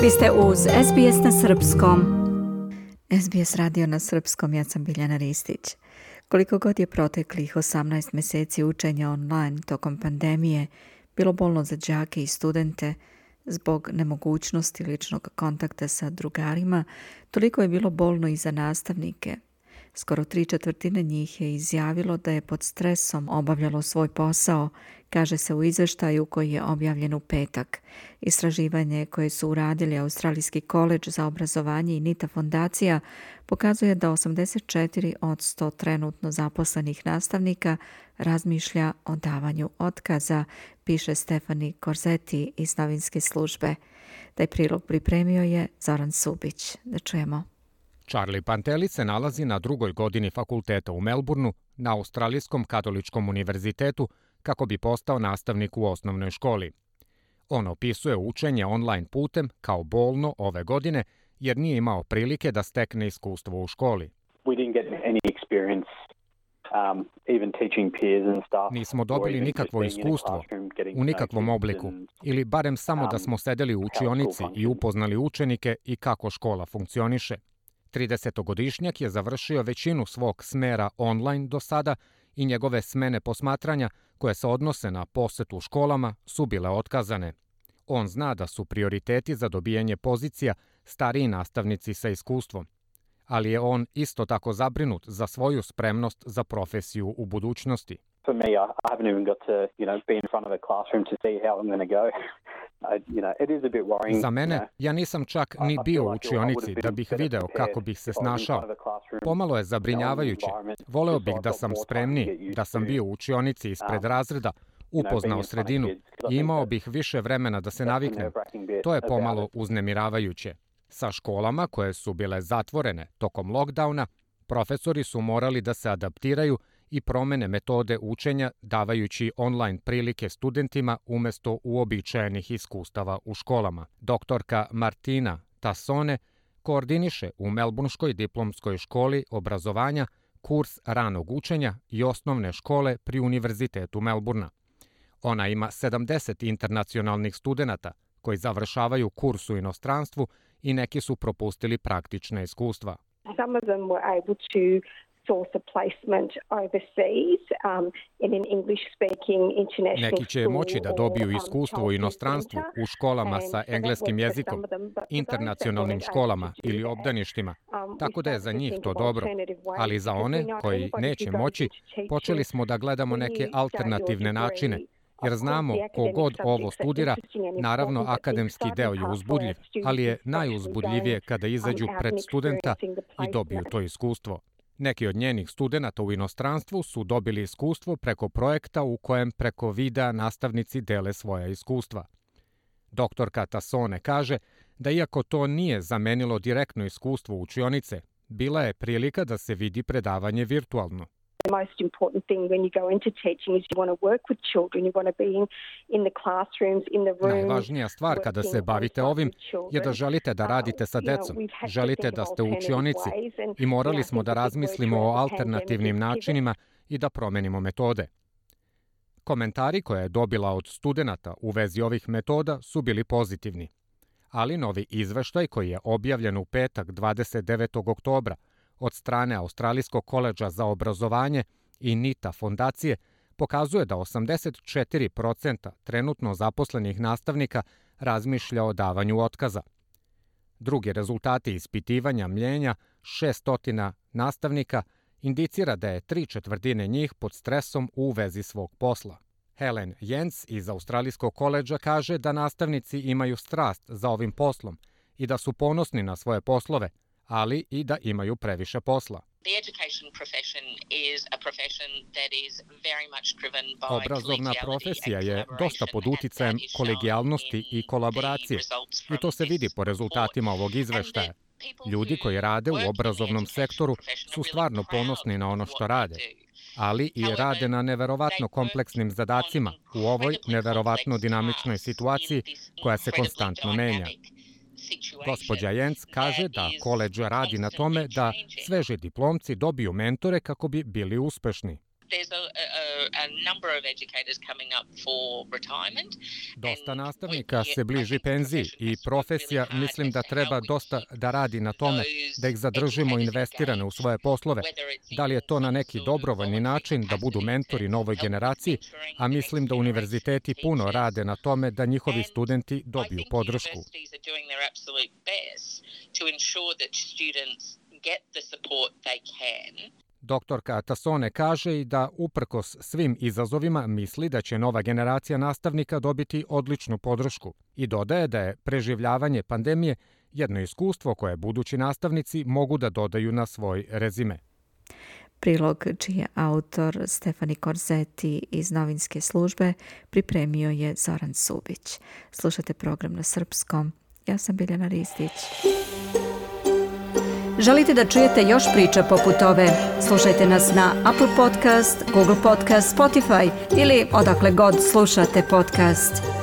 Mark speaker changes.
Speaker 1: Vi ste uz SBS na srpskom. SBS radio na srpskom, ja sam Biljana Ristić. Koliko god je proteklih 18 mjeseci učenja online tokom pandemije bilo bolno za đake i studente zbog nemogućnosti ličnog kontakta sa drugarima, toliko je bilo bolno i za nastavnike. Skoro 3/4 njih je izjavilo da je pod stresom obavljalo svoj posao, kaže se u izveštaju koji je objavljen u petak. Istraživanje koje su uradili Australijski koledž za obrazovanje i NITA fondacija pokazuje da 84 od 100 trenutno zaposlenih nastavnika razmišlja o davanju otkaza, piše Stefani Korzeti iz novinske službe. Taj prilog pripremio je Zoran Subić. Da čujemo.
Speaker 2: Charlie Panteli se nalazi na 2. godini fakulteta u Melbourneu na Australijskom katoličkom univerzitetu kako bi postao nastavnik u osnovnoj školi. On opisuje učenje online putem kao bolno ove godine jer nije imao prilike da stekne iskustvo u školi. Nismo dobili nikakvo iskustvo u nikakvom obliku ili barem samo da smo sedeli u učionici i upoznali učenike i kako škola funkcioniše. 30-godišnjak je završio većinu svog smera online do sada i njegove smene posmatranja koje se odnose na posetu školama su bile otkazane. On zna da su prioriteti za dobijanje pozicija stariji nastavnici sa iskustvom, ali je on isto tako zabrinut za svoju spremnost za profesiju u budućnosti.
Speaker 3: For me, I haven't even got to, be in front of a classroom to see how I'm going to go. It is a bit worrying.
Speaker 2: Za mene, ja nisam čak ni bio u učionici da bih video kako bih se snašao. Pomalo je zabrinjavajuće. Voleo bih da sam spremniji, da sam bio u učionici ispred razreda, upoznao sredinu i imao bih više vremena da se naviknem. To je pomalo uznemiravajuće. Sa školama koje su bile zatvorene tokom lockdowna, profesori su morali da se adaptiraju i promene metode učenja davajući online prilike studentima umjesto uobičajenih iskustava u školama. Doktorka Martina Tassone koordiniše u Melbourneškoj diplomskoj školi obrazovanja kurs ranog učenja i osnovne škole pri Univerzitetu Melbourna. Ona ima 70 internacionalnih studenata koji završavaju kurs u inostranstvu i neki su propustili praktična iskustva.
Speaker 4: Some of them were able to source a placement overseas in an English-speaking international
Speaker 2: Neki će moći da dobiju iskustvo u inostranstvu u školama sa engleskim jezikom, internacionalnim školama ili obdaništima, tako da je za njih to dobro. Ali za one koji neće moći, počeli smo da gledamo neke alternativne načine, jer znamo kogod ovo studira, naravno akademski deo je uzbudljiv, ali je najuzbudljivije kada izađu pred studenta i dobiju to iskustvo. Neki od njenih studenata u inostranstvu su dobili iskustvo preko projekta u kojem preko videa nastavnici dele svoja iskustva. Doktorka Tassone kaže da iako to nije zamenilo direktno iskustvo učionice, bila je prilika da se vidi predavanje virtualno.
Speaker 4: The most important thing when you go into teaching is you want to work with children, you want to be in the classrooms, in the rooms.
Speaker 2: Najvažnija stvar kada se bavite ovim je da želite da radite sa decom, želite da ste u učionici i morali smo da razmislimo o alternativnim načinima i da promenimo metode. Komentari koje je dobila od studenata u vezi ovih metoda su bili pozitivni, ali novi izveštaj koji je objavljen u petak 29. oktobra od strane Australijskog koledža za obrazovanje i NITA fondacije pokazuje da 84% trenutno zaposlenih nastavnika razmišlja o davanju otkaza. Drugi rezultati ispitivanja mljenja 600 nastavnika indicira da je 3/4 njih pod stresom u vezi svog posla. Helen Jens iz Australijskog koledža kaže da nastavnici imaju strast za ovim poslom i da su ponosni na svoje poslove, ali i da imaju previše posla. Obrazovna profesija je dosta pod uticajem kolegijalnosti i kolaboracije i to se vidi po rezultatima ovog izveštaja. Ljudi koji rade u obrazovnom sektoru su stvarno ponosni na ono što rade, ali i rade na neverovatno kompleksnim zadacima u ovoj neverovatno dinamičnoj situaciji koja se konstantno menja. Gospođa Jens kaže da koledž radi na tome da sveži diplomci dobiju mentore kako bi bili uspešni.
Speaker 5: There's
Speaker 2: Dosta nastavnika se bliži penziji i profesija mislim da treba dosta da radi na tome da ih zadržimo investirane u svoje poslove. Da li je to na neki dobrovoljni način da budu mentori novoj generaciji, a mislim da univerziteti puno rade na tome da njihovi studenti dobiju podršku. Doktorka Tassone kaže i da uprkos svim izazovima misli da će nova generacija nastavnika dobiti odličnu podršku i dodaje da je preživljavanje pandemije jedno iskustvo koje budući nastavnici mogu da dodaju na svoj rezime.
Speaker 1: Prilog čiji je autor Stefani Korzeti iz novinske službe pripremio je Zoran Subić. Slušate program na srpskom. Ja sam Biljana Ristić. Želite da čujete još priča poput ove? Slušajte nas na Apple Podcast, Google Podcast, Spotify ili odakle god slušate podcast.